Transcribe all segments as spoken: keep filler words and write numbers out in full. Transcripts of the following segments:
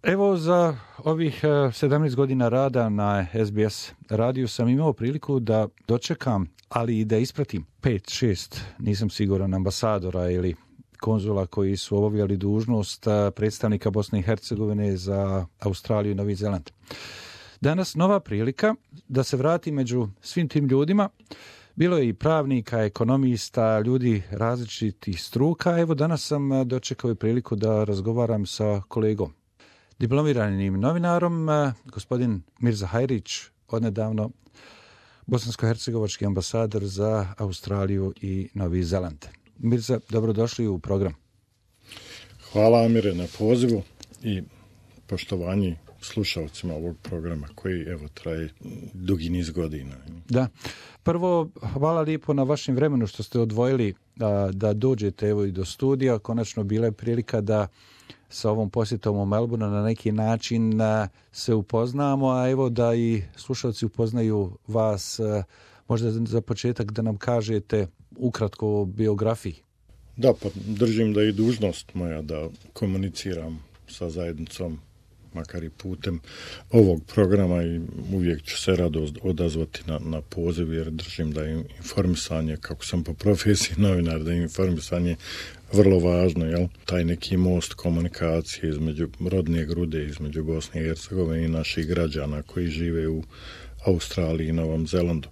Evo, za ovih sedamnaest godina rada na S B S radiju sam imao priliku da dočekam, ali i da ispratim pet, šest, nisam siguran, ambasadora ili konzula koji su obavljali dužnost predstavnika Bosne i Hercegovine za Australiju i Novi Zeland. Danas nova prilika da se vrati među svim tim ljudima. Bilo je i pravnika, ekonomista, ljudi različitih struka. Evo, danas sam dočekao i priliku da razgovaram sa kolegom, diplomiranim novinarom, gospodin Mirza Hajrić, odnedavno bosansko-hercegovački ambasador za Australiju i Novi Zeland. Mirza, dobrodošli u program. Hvala, Amire, na pozivu i poštovanje slušalcima ovog programa koji, evo, traje dugi niz godina. Da. Prvo, hvala lijepo na vašem vremenu što ste odvojili da, da dođete evo i do studija. Konačno bila je prilika da sa ovom posjetom u Melbourne na neki način se upoznamo, a evo da i slušalci upoznaju vas. Možda za početak da nam kažete ukratko o biografiji. Da, pa držim da je i dužnost moja da komuniciram sa zajednicom, makar i putem ovog programa, i uvijek ću se rado odazvati na, na poziv, jer držim da je informisanje, kako sam po profesiji novinar, da je informisanje vrlo važno, jel? Taj neki most komunikacije između rodne grude, između Bosne i Hercegovine i naših građana koji žive u Australiji i Novom Zelandu.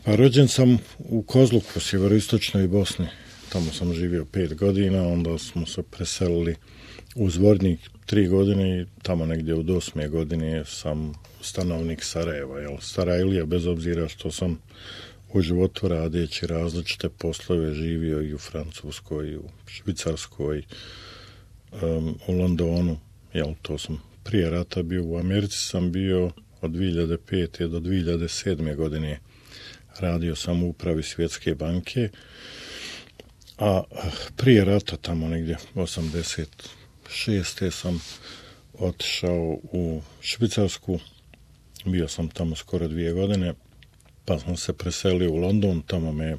Pa rođen sam u Kozluku, u sjeveroistočnoj Bosni. Tamo sam živio pet godina, onda smo se preselili u Zvornik tri godine i tamo negdje od osme godine sam stanovnik Sarajeva. Jel? Sarajlija, bez obzira što sam u životu radeći različite poslove živio i u Francuskoj, i u Švicarskoj, um, u Londonu. Jel, to sam prije rata bio u Americi, sam bio od dvije hiljade pete do dvije hiljade sedme godine. Radio sam u upravi Svjetske banke, a prije rata, tamo negdje osamdeset šeste sam otišao u Švicarsku, bio sam tamo skoro dvije godine, pa sam se preselio u London, tamo me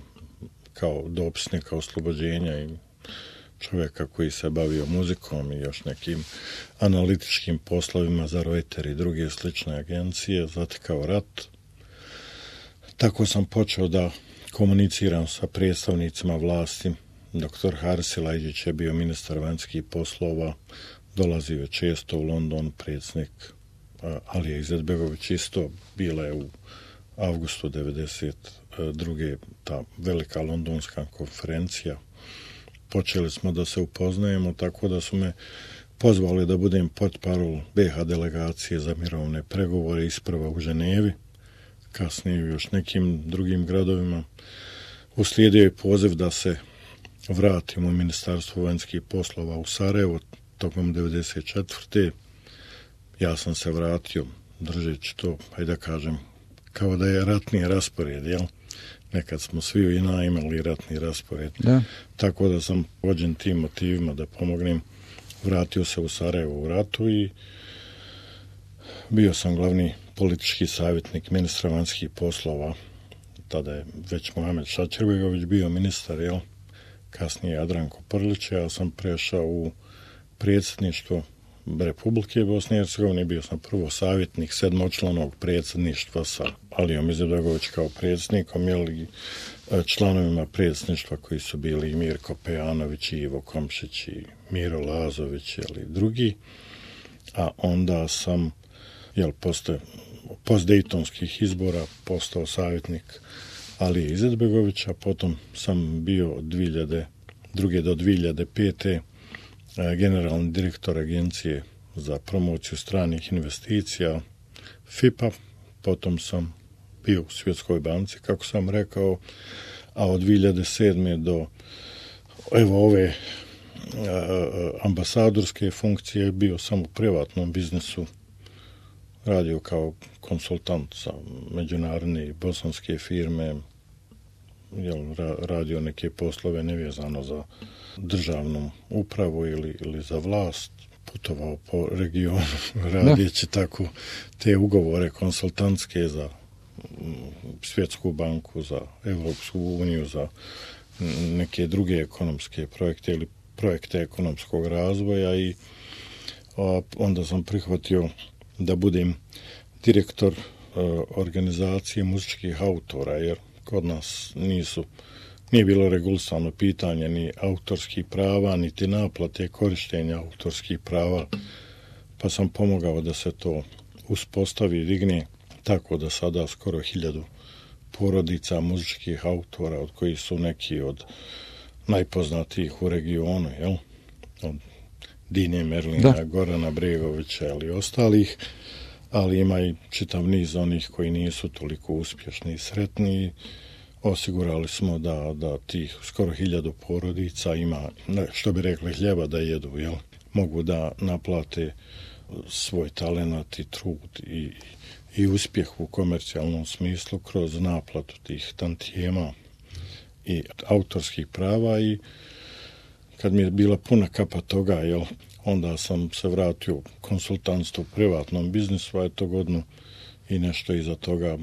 kao dopisnika oslobođenja i čovjeka koji se bavio muzikom i još nekim analitičkim poslovima za Reuters i druge slične agencije zatekao rat. Tako sam počeo da komuniciram sa predstavnicima vlasti. Doktor Haris Silajdžić je bio ministar vanjskih poslova, dolazio je često u London, predsjednik Alija Izetbegović isto, bila je u avgustu devedeset druge ta velika londonska konferencija. Počeli smo da se upoznajemo, tako da su me pozvali da budem portparol B iH delegacije za mirovne pregovore, isprva u Ženevi, kasnije u još nekim drugim gradovima. Uslijedio je poziv da se vratim u Ministarstvo vanjskih poslova u Sarajevo tokom devedeset četvrte. Ja sam se vratio držeći to, hajde da kažem, kao da je ratni raspored, jel? Nekad smo svi u I N A imali ratni raspored. Da. Tako da sam vođen tim motivima da pomognem. Vratio se u Sarajevo u ratu i bio sam glavni politički savjetnik ministra vanjskih poslova. Tada je već Mohamed Šačerbegović bio ministar, jel? Kasnije Jadranko Prlić, ja sam prešao u predsjedništvo Republike Bosne i Hercegovine, bio sam prvo savjetnik sedmočlanog predsjedništva sa Alijom Izetbegović kao predsjednikom, jel, članovima predsjedništva koji su bili i Mirko Pejanović, i Ivo Komšić, i Miro Lazović, jel, i drugi. A onda sam, jel, posle postdejtonskih izbora postao savjetnik Alije Izetbegovića, potom sam bio od dvije hiljade druge do dvije hiljade pete generalni direktor agencije za promociju stranih investicija F I P A, potom sam bio u Svjetskoj banci, kako sam rekao, a od dvije hiljade sedme do evo ove ambasadorske funkcije bio sam u privatnom biznisu, radio kao konsultant za međunarodne i bosanske firme, jel, radio neke poslove nevezano za državnu upravu ili, ili za vlast, putovao po regionu radijeći tako te ugovore konsultantske za Svjetsku banku, za Europsku uniju, za neke druge ekonomske projekte ili projekte ekonomskog razvoja. I a onda sam prihvatio da budem direktor organizacije muzičkih autora, jer kod nas nisu, nije bilo regulisano pitanje ni autorskih prava, niti naplate korištenja autorskih prava, pa sam pomogao da se to uspostavi i digne, tako da sada skoro hiljadu porodica muzičkih autora, od kojih su neki od najpoznatijih u regionu, jel? Od Dine Merlina, da. Gorana Bregovića ili ostalih, ali ima i čitav niz onih koji nisu toliko uspješni i sretni. Osigurali smo da, da tih skoro hiljadu porodica ima, što bi rekli, hljeba da jedu, jel? Mogu da naplate svoj talenat i trud i, i uspjeh u komercijalnom smislu kroz naplatu tih tantijema i autorskih prava. I kad mi je bila puna kapa toga, jel, onda sam se vratio u konsultantstvo u privatnom biznisu, a je to godinu i nešto iza toga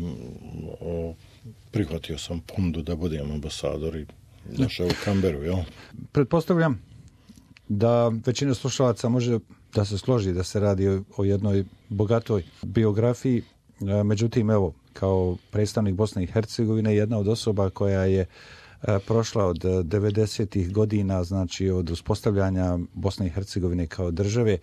o, prihvatio sam ponudu da budem ambasador i došao u Canberru, jel? Pretpostavljam da većina slušalaca može da se složi da se radi o, o jednoj bogatoj biografiji, međutim, evo, kao predstavnik Bosne i Hercegovine, jedna od osoba koja je prošla od devedesetih godina, znači od uspostavljanja Bosne i Hercegovine kao države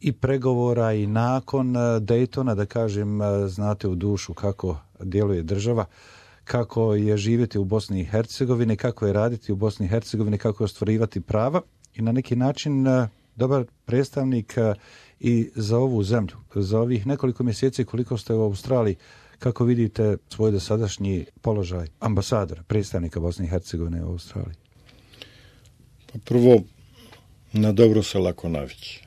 i pregovora i nakon Daytona, da kažem, znate u dušu kako djeluje država, kako je živjeti u Bosni i Hercegovini, kako je raditi u Bosni i Hercegovini, kako je ostvarivati prava i na neki način dobar predstavnik i za ovu zemlju. Za ovih nekoliko mjeseci koliko ste u Australiji, kako vidite svoj dosadašnji položaj ambasadora, predstavnika Bosne i Hercegovine u Australiji? Pa prvo, na dobro se lako navići.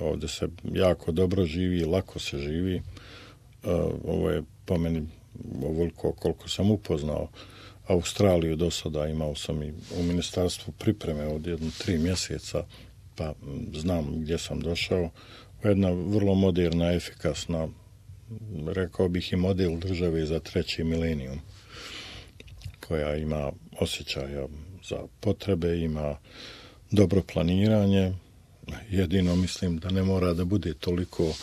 Ovdje se jako dobro živi, lako se živi. Ovo je po meni ovoliko koliko sam upoznao Australiju do sada, imao sam i u ministarstvu pripreme od jedno tri mjeseca, pa znam gdje sam došao. Jedna vrlo moderna, efikasna, rekao bih i model države za treći milenijum, koja ima osjećaja za potrebe, ima dobro planiranje, jedino mislim da ne mora da bude toliko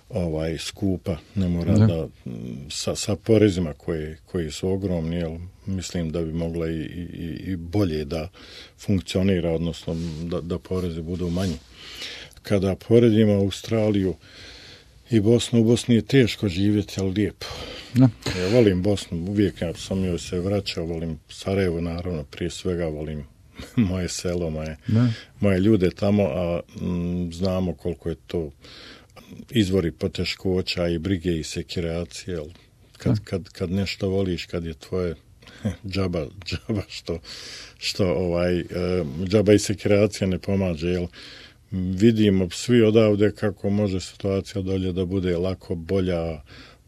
ovaj skupa, ne mora ne. da sa, sa porezima koje, koji su ogromni, jel, mislim da bi mogla i, i, i bolje da funkcionira, odnosno da, da porezi budu manji. Kada poredimo Australiju i Bosnu, u Bosni je teško živjeti, ali lijepo. Ne. Ja volim Bosnu, uvijek ja sam joj se vraćao, volim Sarajevo, naravno, prije svega volim moje selo, moje, moje ljude tamo, a m, znamo koliko je to izvori poteškoća i brige i sekiracije. Kad, kad, kad nešto voliš, kad je tvoje džaba, džaba što, što ovaj, džaba i sekiracija ne pomaže, jel? Vidimo svi odavde kako može situacija dolje da bude lako bolja,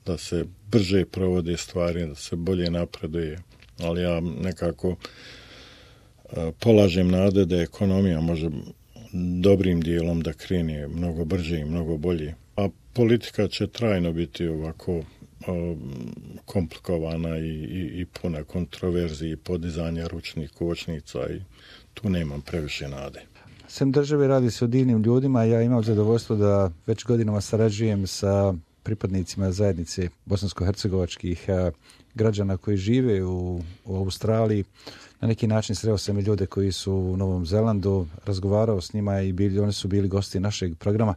da se brže provode stvari, da se bolje napreduje, ali ja nekako polažem nade da ekonomija može dobrim dijelom da krene mnogo brže i mnogo bolje. A politika će trajno biti ovako o, komplikovana i, i, i puna kontroverziji, podizanja ručnih kočnica i tu nemam previše nade. Sem države radi se o divnim ljudima, ja imam zadovoljstvo da već godinama sarađujem sa pripadnicima zajednice bosansko-hercegovačkih građana koji žive u, u Australiji. Na neki način sreo sam i ljude koji su u Novom Zelandu, razgovarao s njima i bili, oni su bili gosti našeg programa.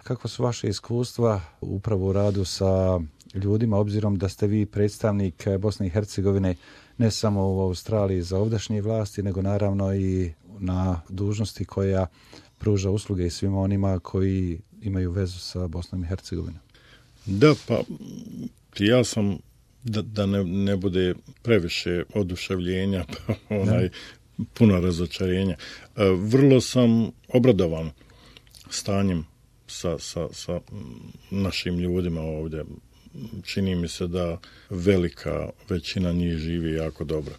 Kakva su vaše iskustva upravo u radu sa ljudima, obzirom da ste vi predstavnik Bosne i Hercegovine ne samo u Australiji za ovdašnje vlasti, nego naravno i na dužnosti koja pruža usluge i svima onima koji imaju vezu sa Bosnom i Hercegovinom? Da, pa ja sam, da, da ne, ne bude previše oduševljenja, pa onaj, puno razočarenja. Vrlo sam obradovan stanjem sa, sa, sa našim ljudima ovdje. Čini mi se da velika većina njih živi jako dobro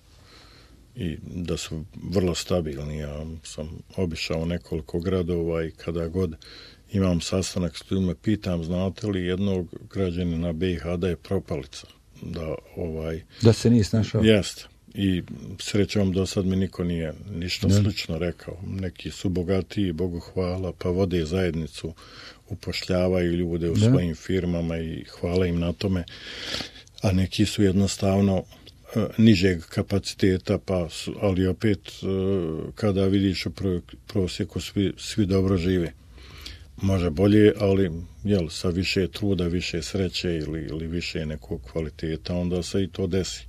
i da su vrlo stabilni. Ja sam obišao nekoliko gradova i kada god imam sastanak s ljudima, pitam, znate li jednog građanina B i H da je propalica? Da, ovaj, da se nije snašao? Jeste. i srećom do sad mi niko nije ništa ne. slično rekao. Neki su bogatiji, Bogu hvala, pa vode zajednicu, upošljavaju ljude u ne. svojim firmama i hvala im na tome, a neki su jednostavno uh, nižeg kapaciteta, pa su, ali opet uh, kada vidiš u prosjeku svi, svi dobro žive. Može bolje, ali jel, sa više truda, više sreće ili, ili više nekog kvaliteta, onda se i to desi.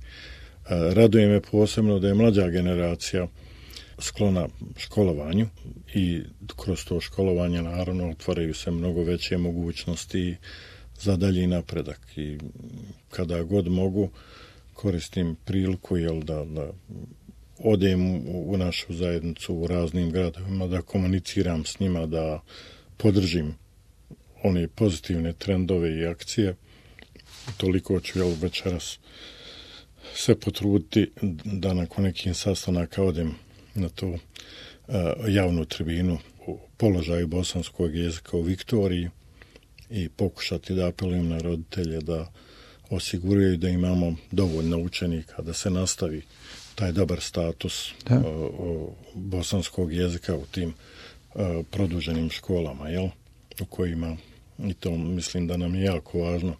Raduje me posebno da je mlađa generacija sklona školovanju i kroz to školovanje naravno otvaraju se mnogo veće mogućnosti za dalji napredak. I kada god mogu koristim priliku jel, da, da odem u, u našu zajednicu u raznim gradovima, da komuniciram s njima, da podržim one pozitivne trendove i akcije. Toliko ću jel, večeras se potruditi da nakon nekih sastanaka odem na tu uh, javnu tribinu u položaju bosanskog jezika u Viktoriji i pokušati da apelujem na roditelje da osiguraju da imamo dovoljno učenika da se nastavi taj dobar status uh, uh, bosanskog jezika u tim uh, produženim školama, jel? U kojima, i to mislim da nam je jako važno,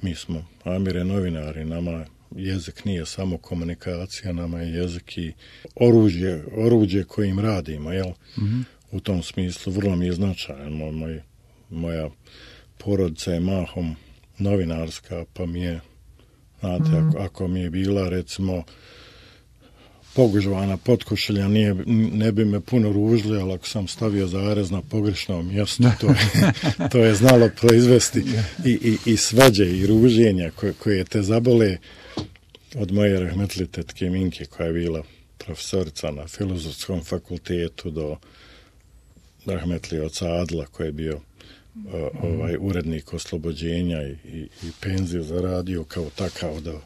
mi smo Amire novinari, nama jezik nije samo komunikacija, nama je jezik i oružje, oruđe kojim radimo, jel? Mm-hmm. U tom smislu vrlo mi je značajan. Moj, moj, moja porodica je mahom novinarska, pa mi je, znate, mm-hmm. ako, ako mi je bila, recimo, pogužvana potkošulja, nije, ne bi me puno ružili, ali ako sam stavio zarez na pogrešnom mjestu, to je, to je znalo proizvesti i, i, i svađe i ruženja koje, koje te zabole. Od moje rahmetli tetke Minke, koja je bila profesorica na Filozofskom fakultetu, do rahmetli oca Adla, koji je bio uh, ovaj urednik Oslobođenja i, i, i penziju zaradio kao takav, do,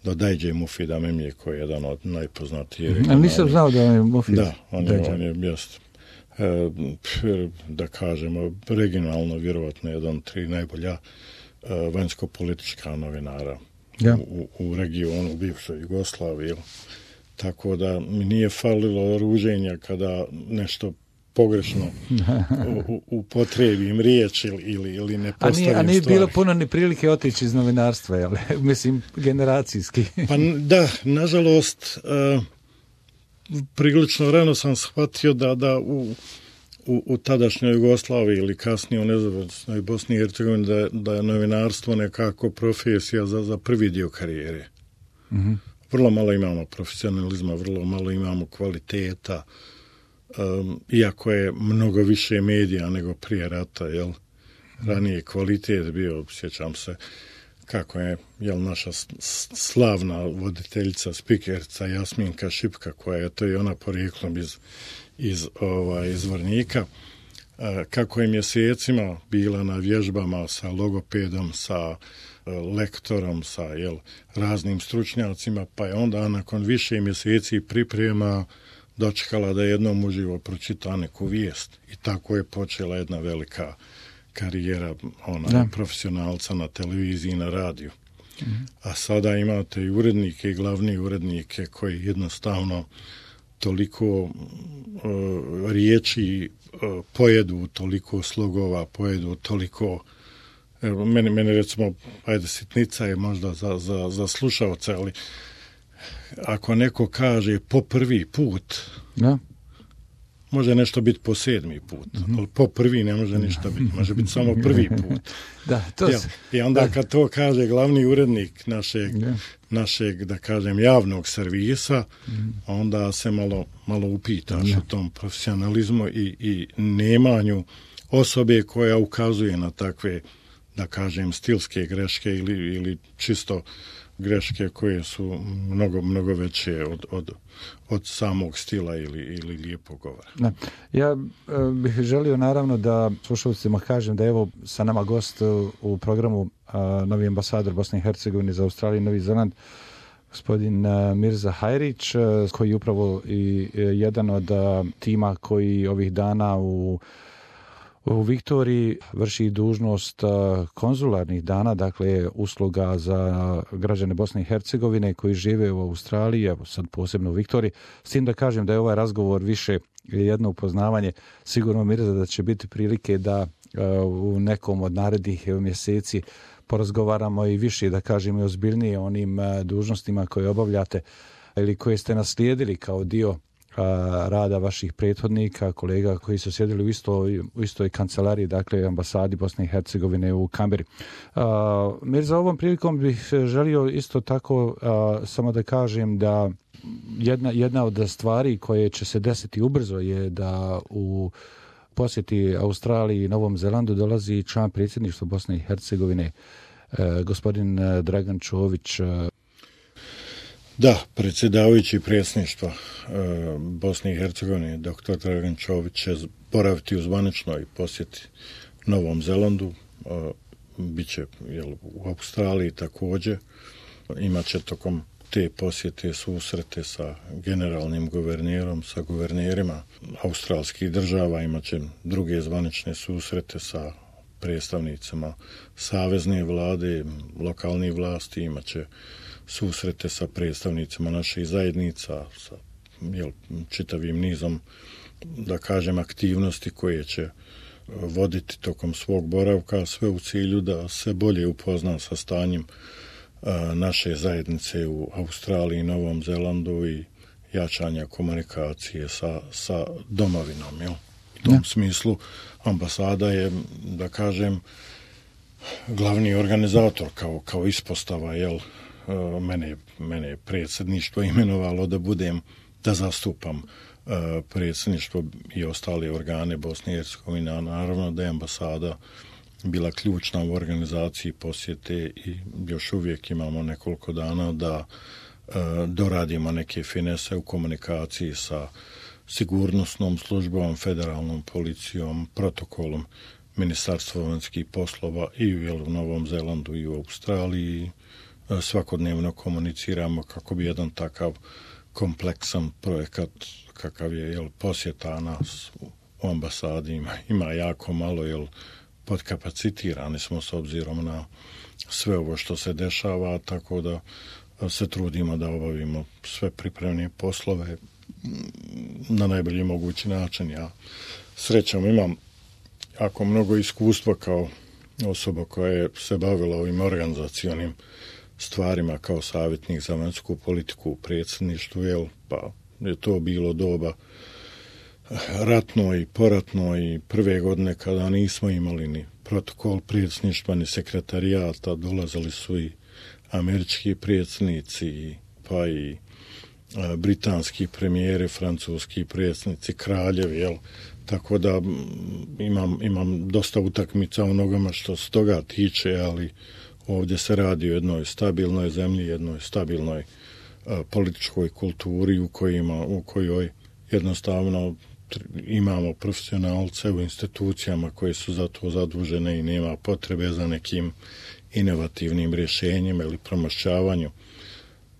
do Dajđe Mufida Memije, koji je jedan od najpoznatijih. Ali nisam znao da je Mufid. Da, on je, on je jest, e, da kažemo, regionalno, vjerovatno jedan od tri najbolja e, vanjsko-politička novinara. Ja. U, u regionu, u bivšoj Jugoslaviji. Tako da mi nije falilo ruženja kada nešto pogrešno u, upotrijebim riječ ili, ili, ili ne postavim stvari. A nije, a nije bilo puno ni prilike otići iz novinarstva, jel? Mislim, generacijski. Pa da, nažalost, uh, prilično rano sam shvatio da, da u U, u tadašnjoj Jugoslaviji ili kasnije u nezavisnoj Bosni i Hercegovini da, da je novinarstvo nekako profesija za, za prvi dio karijere. Mm-hmm. Vrlo malo imamo profesionalizma, vrlo malo imamo kvaliteta, um, iako je mnogo više medija nego prije rata, jel? Ranije kvalitet bio, sjećam se kako je jel, naša slavna voditeljica, spikerca Jasminka Šipka, koja je to i ona porijeklom iz iz ovaj izvornika, kako je mjesecima bila na vježbama sa logopedom, sa lektorom, sa jel, raznim stručnjacima, pa je onda nakon više mjeseci priprema dočekala da jednom uživo pročita neku vijest. I tako je počela jedna velika karijera ona, da. profesionalca na televiziji i na radiju. Mm-hmm. A sada imate i urednike i glavni urednike koji jednostavno toliko uh, riječi uh, pojedu, toliko slogova pojedu, toliko evo, meni, meni recimo, ajde, sitnica je možda za, za, za slušalce, ali ako neko kaže po prvi put, ja. može nešto biti po sedmi put, mm-hmm. ali po prvi ne može ništa biti, može biti samo prvi put. Da, to ja, I onda da. kad to kaže glavni urednik našeg, ja. našeg, da kažem, javnog servisa, mm-hmm. onda se malo, malo upitaš ja. u tom profesionalizmu i, i nemanju osobe koja ukazuje na takve, da kažem, stilske greške ili, ili čisto greške koje su mnogo, mnogo veće od, od, od samog stila ili, ili lijepog govora. Da. Ja e, bih želio naravno da slušalcima kažem da evo sa nama gost u programu a, novi ambasador Bosne i Hercegovine za Australiju i Novi Zeland, gospodin a, Mirza Hajrić, a, koji je upravo i a, jedan od a, tima koji ovih dana u u Viktoriji vrši dužnost konzularnih dana, dakle usluga za građane Bosne i Hercegovine koji žive u Australiji, evo sad posebno u Viktoriji. S tim da kažem da je ovaj razgovor više jedno upoznavanje. Sigurno Mirza da će biti prilike da u nekom od narednih mjeseci porazgovaramo i više, da kažem i ozbiljnije o onim dužnostima koje obavljate ili koje ste naslijedili kao dio rada vaših prethodnika, kolega koji su sjedili u istoj, u istoj kancelariji, dakle ambasadi Bosne i Hercegovine u Kamberi. Mirza, ovom prilikom bih želio isto tako a, samo da kažem da jedna, jedna od stvari koje će se desiti ubrzo je da u posjeti Australiji i Novom Zelandu dolazi član predsjedništva Bosne i Hercegovine, e, gospodin Dragan Čović. Da, predsjedavajući predsjedništva e, Bosne i Hercegovine, doktor Dragan Čović će boraviti u zvaničnoj posjeti Novom Zelandu, e, bit će jel, u Australiji također, imat će tokom te posjete susrete sa generalnim guvernerom, sa guvernerima australskih država, imat će druge zvanične susrete sa predstavnicima savezne vlade, lokalnih vlasti, imat će susrete sa predstavnicima naših zajednica, sa jel, čitavim nizom, da kažem, aktivnosti koje će voditi tokom svog boravka, sve u cilju da se bolje upozna sa stanjem naše zajednice u Australiji i Novom Zelandu i jačanja komunikacije sa, sa domovinom. Jel? U tom ja. smislu ambasada je, da kažem, glavni organizator kao, kao ispostava, jel, mene, mene je predsjedništvo imenovalo da budem, da zastupam predsjedništvo i ostale organe Bosne i Hercegovine, a naravno da je ambasada bila ključna u organizaciji posjete i još uvijek imamo nekoliko dana da e, doradimo neke finese u komunikaciji sa sigurnosnom službom, federalnom policijom, protokolom Ministarstva vanjskih poslova i u, jel, u Novom Zelandu i u Australiji. E, svakodnevno komuniciramo kako bi jedan takav kompleksan projekat kakav je jel, posjeta nas u, u ambasadi ima, ima jako malo, jel, podkapacitirani smo s obzirom na sve ovo što se dešava, tako da se trudimo da obavimo sve pripremne poslove na najbolji mogući način. Ja srećom imam jako mnogo iskustva kao osoba koja je se bavila ovim organizacionim stvarima kao savjetnik za vanjsku politiku u predsjedništvu, jel, pa je to bilo doba ratno i poratno i prve godine kada nismo imali ni protokol predsjedništva ni sekretarijata, dolazili su i američki predsjednici, pa i a, britanski premijeri, francuski predsjednici, kraljevi, jel? Tako da imam, imam dosta utakmica u nogama što se toga tiče, ali ovdje se radi o jednoj stabilnoj zemlji, jednoj stabilnoj a, političkoj kulturi u kojima, u kojoj jednostavno imamo profesionalce u institucijama koje su za to zadužene i nema potrebe za nekim inovativnim rješenjima ili promašćavanju.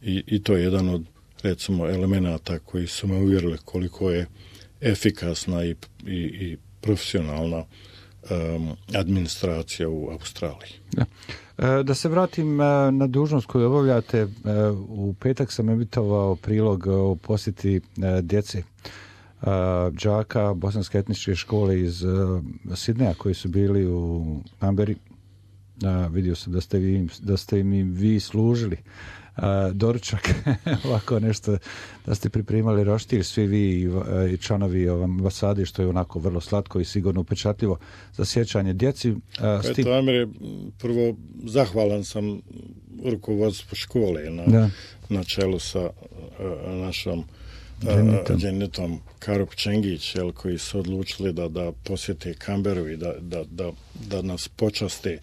I, i to je jedan od, recimo, elemenata koji su me uvjerili koliko je efikasna i, i, i profesionalna um, administracija u Australiji. Da. Da se vratim na dužnost koju obavljate, u petak sam emitovao prilog o posjeti djece đaka bosanske etničke škole iz Sidneja koji su bili u Kamberi. Vidio sam da ste, vi, da ste im vi služili doručak, ovako nešto, da ste pripremali roštilj, svi vi i članovi ambasade, što je onako vrlo slatko i sigurno upečatljivo za sjećanje djeci. Eto, Amir, prvo zahvalan sam rukovodstvu škole na, na čelu sa našom Dženitom Karup Čengić, jel, koji su odlučili da, da posjete Kamberu i da, da, da, da nas počaste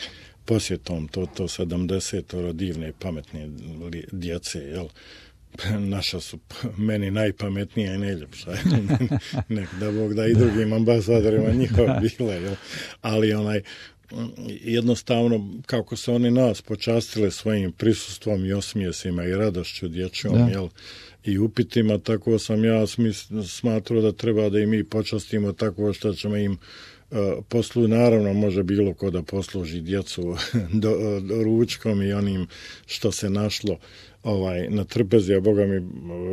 posjetom to, to sedamdesetoro divne pametne djece, jel. Naša su meni najpametnija i najljepša. Nek da Bog da i drugim ambasadorima njihova bila, jel. Ali onaj, jednostavno, kako se oni nas počastile svojim prisustvom i osmijesima i radošću dječjom, da. Jel, i upitima, tako sam ja smis, smatrao da treba da i mi počastimo tako što ćemo im posluju. Naravno, može bilo ko da posluži djecu do, do ručkom i onim što se našlo ovaj, na trpezi, a Boga mi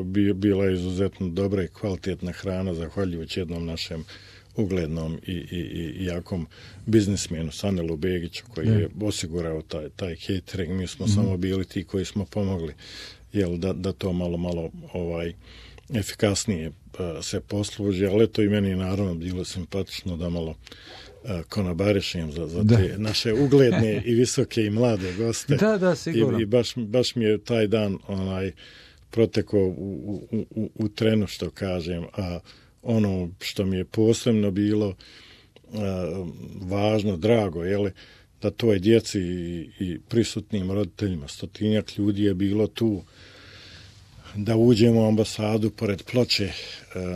bi, bila je izuzetno dobra i kvalitetna hrana, zahvaljujući jednom našem uglednom i, i, i jakom biznismenu Sanelu Begiću, koji je osigurao taj, taj catering. Mi smo mm. samo bili ti koji smo pomogli, jel, da, da to malo, malo ovaj, efikasnije uh, se posluži, ali to i meni naravno bilo simpatično da malo uh, konobarišem za, za te da. naše ugledne i visoke i mlade goste. Da, da, sigurno. I, i baš, baš mi je taj dan onaj protekao u, u, u, u trenu, što kažem, a ono što mi je posebno bilo uh, važno, drago, jeli, da toj djeci i, i prisutnim roditeljima, stotinjak ljudi je bilo tu, da uđemo u ambasadu pored ploče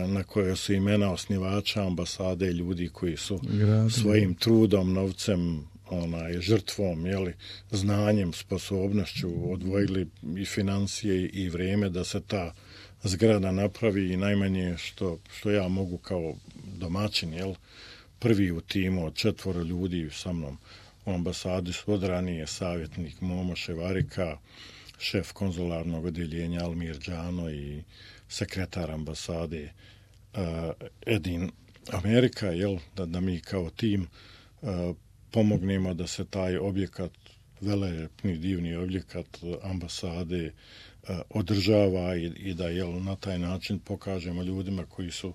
na kojoj su imena osnivača ambasade i ljudi koji su Grazie. svojim trudom, novcem, onaj, žrtvom, jeli, znanjem, sposobnošću odvojili i financije i vrijeme da se ta zgrada napravi, i najmanje što, što ja mogu kao domaćin, jel, prvi u timu od četvoro ljudi sa mnom u ambasadi su od ranije savjetnik Momo Ševarika, šef konzularnog odjeljenja Almir Džano i sekretar ambasade uh, Edin Amerika, jel, da, da mi kao tim uh, pomognemo da se taj objekat, velelepni divni objekat ambasade uh, održava i, i da, jel, na taj način pokažemo ljudima koji su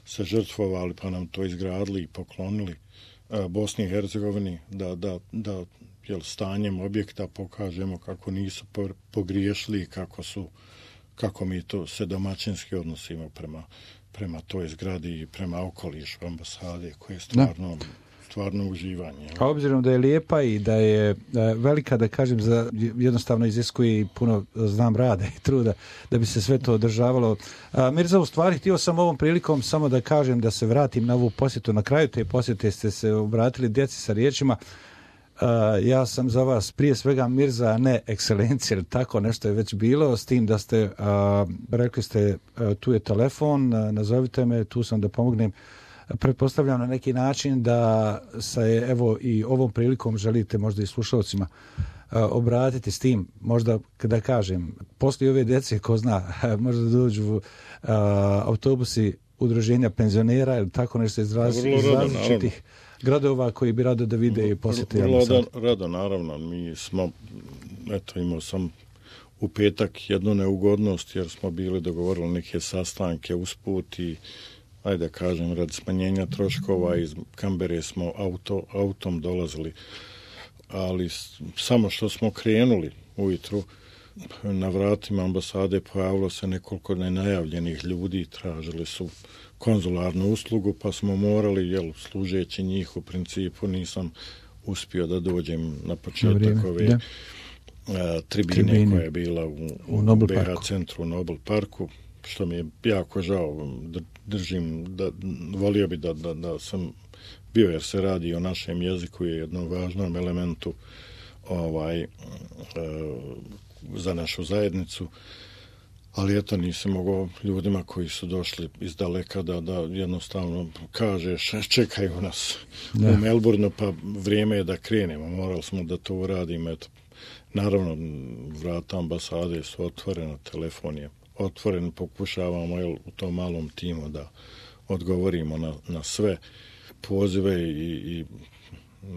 se žrtvovali pa nam to izgradili i poklonili uh, Bosni i Hercegovini, da, da, da jel, stanjem objekta pokažemo kako nisu pogriješili, kako su, kako mi to se domaćinski odnosimo prema, prema toj zgradi i prema okolišu ambasade, koje je stvarno, stvarno uživanje. A obzirom da je lijepa i da je velika, da kažem, za, jednostavno iziskuje i puno, znam, rada i truda da bi se sve to održavalo. A, Mirza, u stvari, htio sam ovom prilikom samo da kažem, da se vratim na ovu posjetu. Na kraju te posjete ste se obratili djeci sa riječima: Uh, ja sam za vas prije svega Mirza, a ne ekscelencija, jer tako nešto je već bilo, s tim da ste, uh, rekli ste, uh, tu je telefon, uh, nazovite me, tu sam da pomognem. Pretpostavljam na neki način da se, evo, i ovom prilikom želite možda i slušalcima uh, obratiti s tim, možda, kada kažem, poslije ove djece, ko zna, možda dođu uh, autobusi udruženja penzionera ili tako nešto iz, raz, iz različitih gradova koji bi rado da vide i posjeti ambasadu. Rado, rado, naravno. Mi smo, eto, imao sam u petak jednu neugodnost, jer smo bili dogovorili neke sastanke usput i, ajde kažem, radi smanjenja troškova iz Kambere smo auto, autom dolazili, ali samo što smo krenuli ujutru, na vratima ambasade pojavilo se nekoliko nenajavljenih ljudi, tražili su konzularnu uslugu, pa smo morali, jel, služeći njih, u principu nisam uspio da dođem na početak ove da. a, tribine, tribine koja je bila u, u, u B H centru, u Nobel parku, što mi je jako žao. Držim, da, volio bi da, da, da sam bio, jer se radi o našem jeziku i jednom važnom elementu ovaj, a, za našu zajednicu. Ali eto, nisam mogao ljudima koji su došli iz daleka da, da jednostavno kažeš čekaju nas da. u Melbourneu, pa vrijeme je da krenemo. Morali smo da to uradimo. Eto, naravno, vrata ambasade su otvorena, telefon je otvoren, pokušavamo, jel, u tom malom timu da odgovorimo na, na sve pozive i, i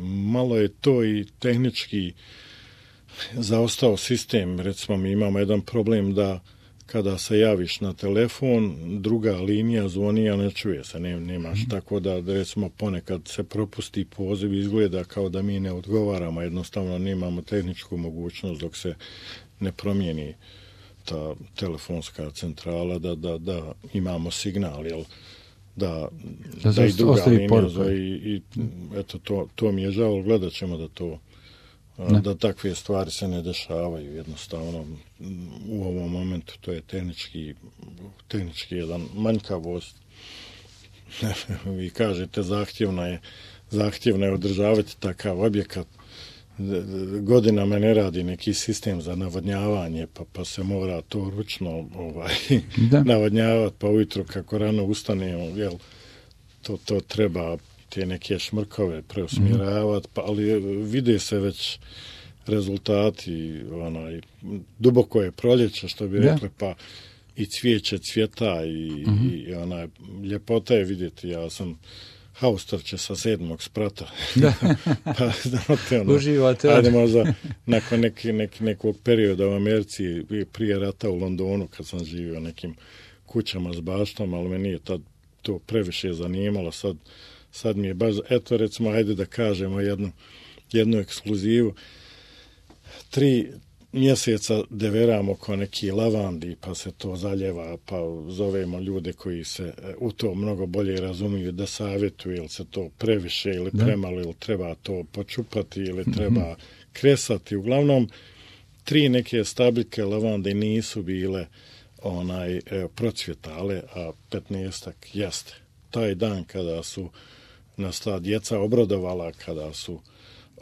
malo je to i tehnički zaostao sistem. Recimo, mi imamo jedan problem da kada se javiš na telefon, druga linija zvoni, a ne čuje se, ne, nemaš. Mm. Tako da, recimo, ponekad se propusti poziv, izgleda kao da mi ne odgovaramo, jednostavno nemamo tehničku mogućnost dok se ne promijeni ta telefonska centrala, da, da, da imamo signal, jel, da, da, da i druga linija zove i, i eto, to, to mi je žao, gledat ćemo da to Ne. da takve stvari se ne dešavaju, jednostavno u ovom momentu. To je tehnički, tehnički jedan manjkavost. Vi kažete zahtjevno je, zahtjevno je održavati takav objekat. Godinama ne radi neki sistem za navodnjavanje, pa, pa se mora to ručno ovaj, navodnjavati, pa ujutro kako rano ustanemo, jel, to, to treba te neke šmrkove preusmjeravati, pa, ali vide se već rezultati, onaj, duboko je proljeće, što bi rekli, pa i cvijeće cvjeta i, mm-hmm. i onaj, ljepota je vidjeti. Ja sam haustrče sa sedmog sprata. Pa, znate, ono, uživate. Ajde možda nakon neki, neki, nekog perioda u Americi, prije rata u Londonu, kad sam živio nekim kućama s baštom, ali me nije tad to previše zanimalo. Sad, sad mi je baš, eto recimo, ajde da kažemo jednu, jednu ekskluzivu. Tri mjeseca deveramo ko neki lavandi, pa se to zaljeva, pa zovemo ljude koji se u to mnogo bolje razumiju da savjetuju, ili se to previše ili premalo, ili treba to počupati, ili treba mm-hmm. kresati. Uglavnom, tri neke stabljike lavande nisu bile onaj evo, procvjetale, a petnaestak jeste. Taj dan kada su nas ta djeca obradovala, kada su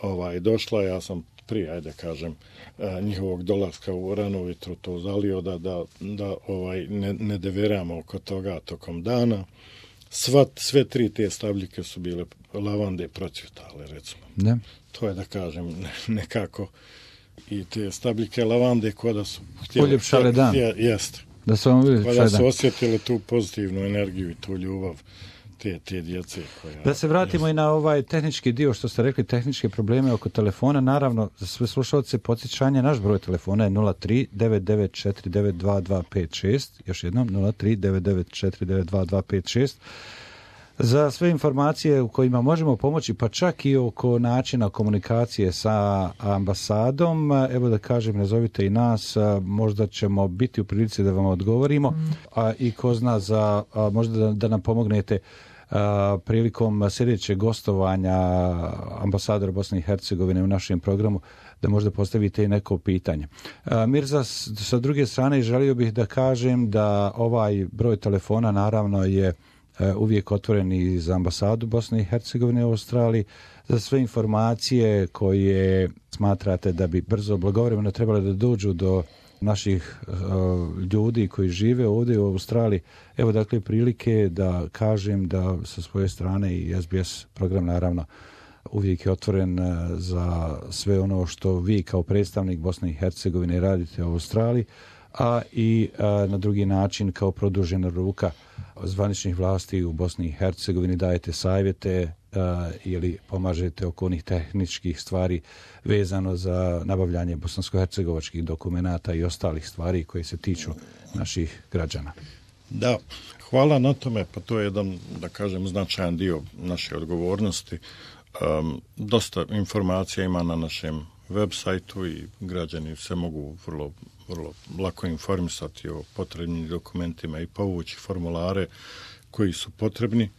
ovaj došla, ja sam prije, ajde kažem, njihovog dolaska u rano ujutro to zalio da, da, da ovaj ne, ne deveramo oko toga tokom dana. Sva, sve tri te stabljike su bile lavande procvjetale, recimo. Ne. To je, da kažem, nekako i te stabljike lavande koja da su htjeli... Uljepšale dan. Je, jeste. Da su vam uljepšale dan. Kada su osjetili tu pozitivnu energiju i tu ljubav te, te djece. Koja, da se vratimo jest. i na ovaj tehnički dio, što ste rekli, tehničke probleme oko telefona. Naravno, za sve slušalce podsjećanje, naš broj telefona je nula tri devet devet četiri devet dva dva pet šest. Još jednom, nula tri devet devet četiri devet dva dva pet šest. Za sve informacije u kojima možemo pomoći, pa čak i oko načina komunikacije sa ambasadom, evo da kažem, nazovite i nas, možda ćemo biti u prilici da vam odgovorimo, mm. a i ko zna za, a, možda da, da nam pomognete a, prilikom sljedećeg gostovanja ambasadora Bosne i Hercegovine u našem programu, da možda postavite i neko pitanje. A, Mirza, sa druge strane, želio bih da kažem da ovaj broj telefona naravno je uvijek otvoren i za ambasadu Bosne i Hercegovine u Australiji, za sve informacije koje smatrate da bi brzo, blagovremeno trebale da dođu do naših uh, ljudi koji žive ovdje u Australiji. Evo dakle prilike da kažem da sa svoje strane i S B S program naravno uvijek je otvoren za sve ono što vi kao predstavnik Bosne i Hercegovine radite u Australiji, a i a, na drugi način kao produžena ruka zvaničnih vlasti u Bosni i Hercegovini dajete savjete a, ili pomažete oko onih tehničkih stvari vezano za nabavljanje bosansko-hercegovačkih dokumenata i ostalih stvari koje se tiču naših građana. Da, hvala na tome, pa to je jedan, da kažem, značajan dio naše odgovornosti. Um, dosta informacija ima na našem web sajtu i građani se mogu vrlo, vrlo lako informisati o potrebnim dokumentima i povući formulare koji su potrebni,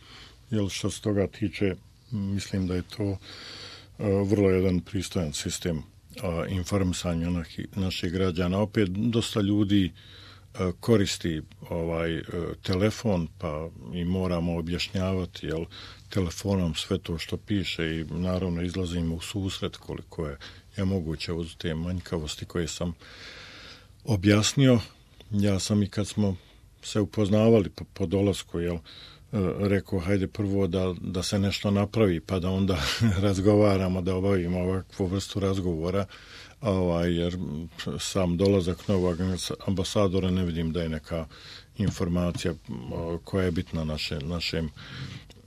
jer što se toga tiče, mislim da je to uh, vrlo jedan pristojan sistem uh, informisanja naši, naših građana. Opet, dosta ljudi uh, koristi ovaj uh, telefon, pa i moramo objašnjavati, jel, telefonom sve to što piše i naravno izlazimo u susret koliko je je moguće uz te manjkavosti koje sam objasnio. Ja sam i kad smo se upoznavali po, po dolasku, jel, rekao, hajde prvo da, da se nešto napravi, pa da onda razgovaramo, da obavimo ovakvu vrstu razgovora, ovaj, jer sam dolazak novog ambasadora ne vidim da je neka informacija koja je bitna naše, našem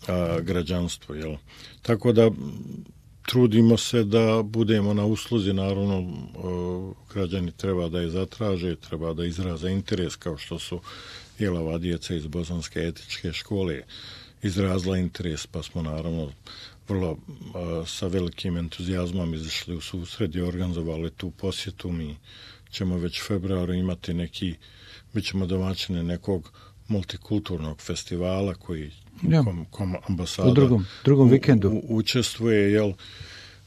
a, građanstvu. Jel. Tako da trudimo se da budemo na usluzi, naravno građani treba da je zatraže, treba da izraze interes, kao što su jelava djeca iz Bosanske etičke škole izrazila interes, pa smo naravno vrlo sa velikim entuzijazmom izašli u susret i organizovali tu posjetu. Mi ćemo već u februaru imati neki, bit ćemo domaćine nekog multikulturnog festivala koji ja. kom, kom ambasada u drugom, drugom vikendu u, u, učestvuje, jel,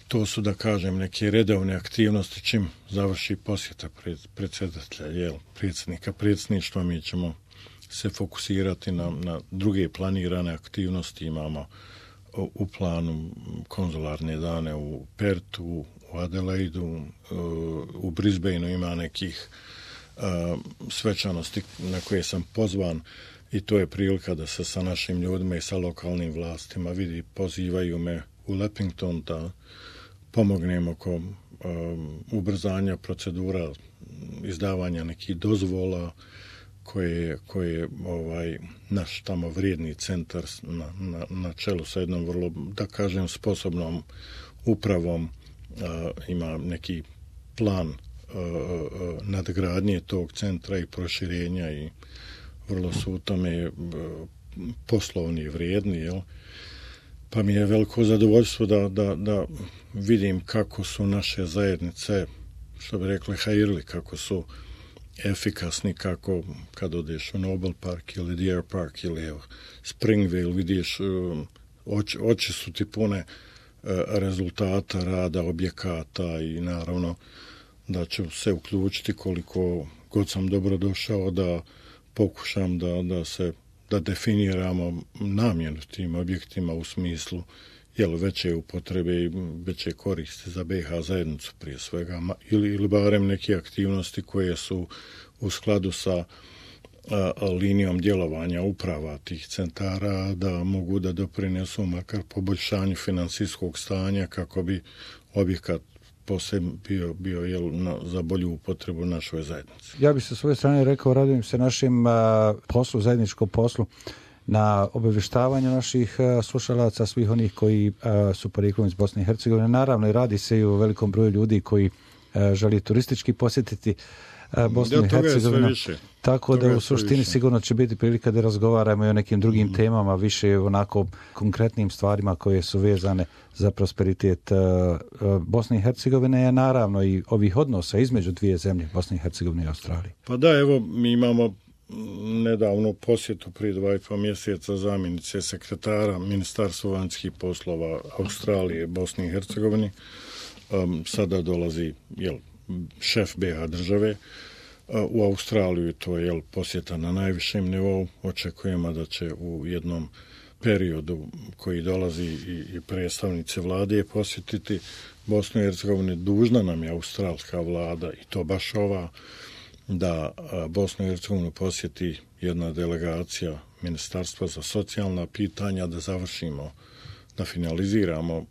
to su, da kažem, neke redovne aktivnosti čim završi posjeta pred, predsjedatelja, jel, predsjednika predsjedništva. Mi ćemo se fokusirati na, na druge planirane aktivnosti. Imamo u, u planu konzularne dane u Pertu, u Adelaidu, u Brisbaneu ima nekih uh, svečanosti na koje sam pozvan i to je prilika da se sa našim ljudima i sa lokalnim vlastima vidi, pozivaju me u Leppington da pomognem oko um, ubrzanja procedura izdavanja nekih dozvola koje, koje ovaj, naš tamo vrijedni centar na, na, na čelu sa jednom vrlo, da kažem, sposobnom upravom uh, ima neki plan uh, uh, nadgradnje tog centra i proširenja i vrlo su u tome uh, poslovni i vrijedni, jel? Pa mi je veliko zadovoljstvo da, da, da vidim kako su naše zajednice, što bi rekli, hajirli, kako su efikasni, kako kad odeš u Nobel Park ili Deer Park ili evo, Springville, vidiš, oči, oči su ti pune rezultata rada, objekata i naravno da ću se uključiti koliko god sam dobro došao da pokušam da, da se da definiramo namjenu tim objektima u smislu jel, veće upotrebe i veće koristi za B iH zajednicu prije svega, ili, ili barem neke aktivnosti koje su u skladu sa a, linijom djelovanja uprava tih centara, da mogu da doprinesu makar poboljšanju financijskog stanja kako bi objekat posebno bio, bio jel, na, za bolju upotrebu našoj zajednici. Ja bih sa svoje strane rekao, radujem se našim a, poslu, zajedničkom poslu, na obavještavanju naših a, slušalaca, svih onih koji a, su porijeklom iz Bosne i Hercegovine. Naravno, i radi se i o velikom broju ljudi koji a, želi turistički posjetiti a, Bosnu i Hercegovinu. Tako toga da u suštini sigurno će biti prilika da razgovaramo i o nekim drugim mm. temama, više onako konkretnim stvarima koje su vezane za prosperitet uh, uh, Bosne i Hercegovine, a naravno i ovih odnosa između dvije zemlje, Bosne i Hercegovine i Australije. Pa da, evo, mi imamo nedavno posjetu prije dva i pol mjeseca zamjenice sekretara Ministarstva vanjskih poslova Australije, Bosne i Hercegovine. Um, sada dolazi jel, šef B iH države u Australiju, to je jel, posjeta na najvišem nivou. Očekujemo da će u jednom periodu koji dolazi i, i predstavnice vlade posjetiti Bosnu i Hercegovinu. Dužna nam je australska vlada, i to baš ova, da Bosnu i Hercegovinu posjeti jedna delegacija Ministarstva za socijalna pitanja, da završimo, da finaliziramo uh,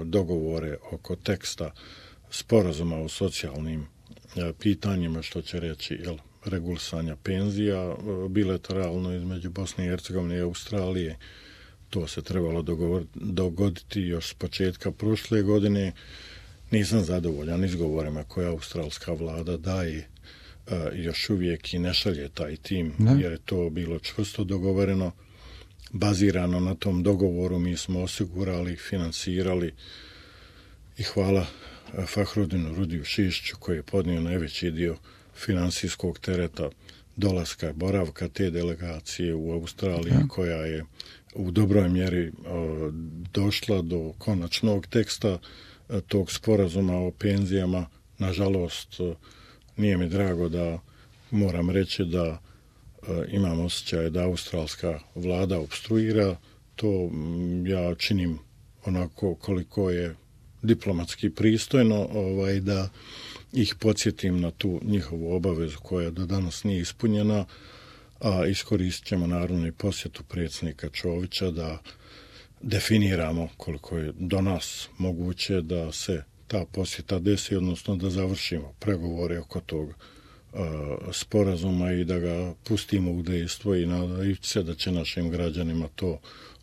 dogovore oko teksta sporazuma o socijalnim uh, pitanjima, što će reći jel, regulisanja penzija uh, bilateralno između Bosne i Hercegovine i Australije. To se trebalo dogovor, dogoditi još s početka prošle godine. Nisam zadovoljan izgovorima koje australska vlada daje uh, još uvijek i ne šalje taj tim, ne. Jer je to bilo čvrsto dogovoreno. Bazirano na tom dogovoru mi smo osigurali, finansirali i hvala Fahrudinu Rudiju Šišiću koji je podnio najveći dio finansijskog tereta dolaska i boravka te delegacije u Australiji, ja. koja je u dobroj mjeri o, došla do konačnog teksta o, tog sporazuma o penzijama. Nažalost, o, nije mi drago da moram reći da imam osjećaj da australska vlada obstruira. To ja činim onako koliko je diplomatski pristojno, ovaj, da ih podsjetim na tu njihovu obavezu koja do danas nije ispunjena, a iskoristit ćemo naravno i posjetu predsjednika Čovića da definiramo koliko je do nas moguće da se ta posjeta desi, odnosno da završimo pregovore oko toga sporazuma i da ga pustimo u dejstvo i nadajući se da će našim građanima to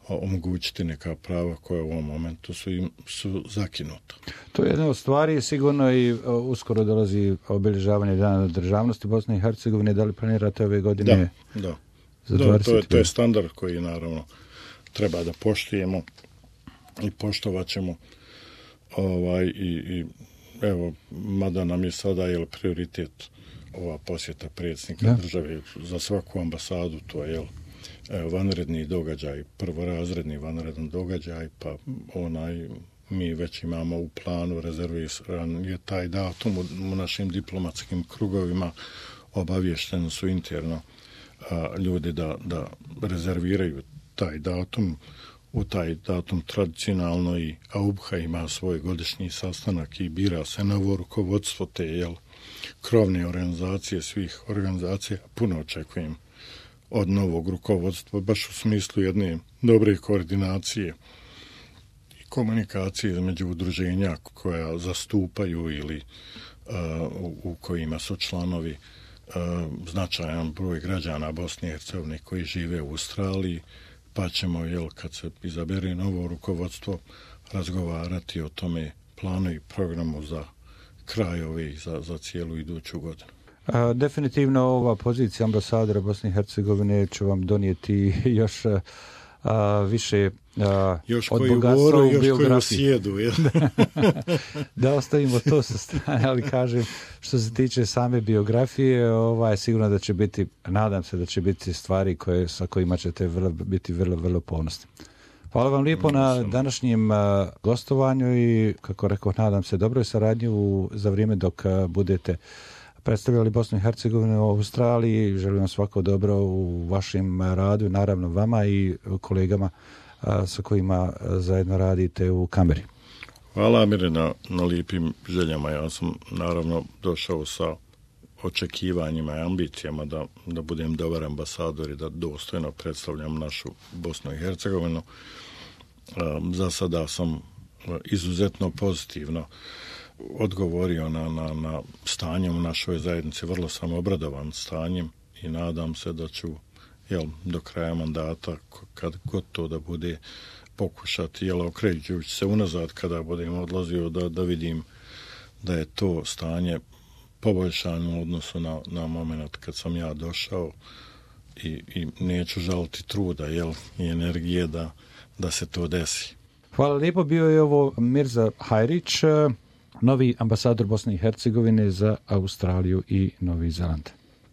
omogućiti neka prava koja u ovom momentu su im su zakinuta. To je jedna od stvari, sigurno i uskoro dolazi obilježavanje Dana državnosti Bosne i Hercegovine. Da li planirate ove godine? Da, da. Za da to, je, to je standard koji naravno treba da poštujemo i poštovat ćemo ovaj, i, i evo, mada nam je sada jel, prioritet ova posjeta predsjednika ja. države za svaku ambasadu, to je jel, vanredni događaj, prvorazredni vanredan događaj, pa onaj mi već imamo u planu, rezerviran je taj datum u, u našim diplomatskim krugovima, obavješteni su interno a, ljudi da, da rezerviraju taj datum. U taj datum tradicionalno i A U B H A ima svoj godišnji sastanak i bira se novo rukovodstvo te jel, krovne organizacije, svih organizacija. Puno očekujem od novog rukovodstva, baš u smislu jedne dobre koordinacije i komunikacije između udruženja koja zastupaju ili uh, u, u kojima su članovi uh, značajan broj građana Bosne i Hercegovine koji žive u Australiji, pa ćemo, jel, kad se izabere novo rukovodstvo, razgovarati o tome planu i programu za kraj ove i za, za cijelu iduću godinu. A, definitivno ova pozicija ambasadora Bosne i Hercegovine će vam donijeti još a, više a, još od koju bogatstva voru, u još biografiji. koju sjedu. Ja. Da ostavimo to sa strane, ali kažem, što se tiče same biografije, ovaj, sigurno da će biti, nadam se da će biti stvari koje, sa kojima ćete vrlo, biti vrlo, vrlo ponosni. Hvala vam lijepo na današnjem uh, gostovanju i, kako rekao, nadam se dobroj saradnji u, za vrijeme dok uh, budete predstavljali Bosnu i Hercegovinu u Australiji. Želim vam svako dobro u vašem radu, naravno vama i kolegama uh, sa kojima uh, zajedno radite u Kameri. Hvala, Amire, na, na lijepim željama. Ja sam naravno došao sa očekivanjima i ambicijama da, da budem dobar ambasador i da dostojno predstavljam našu Bosnu i Hercegovinu. Za sada sam izuzetno pozitivno odgovorio na, na, na stanje u našoj zajednici. Vrlo sam obradovan stanjem i nadam se da ću, jel, do kraja mandata, kad god to da bude, pokušati, jel, okrećujući se unazad kada budem odlazio, da, da vidim da je to stanje poboljšano u odnosu na, na moment kad sam ja došao i, i neću žaliti truda, jel, i energije da, da se to desi. Hvala lijepo, bio je ovo Mirza Hajrić, novi ambasador Bosne i Hercegovine za Australiju i Novi Zeland.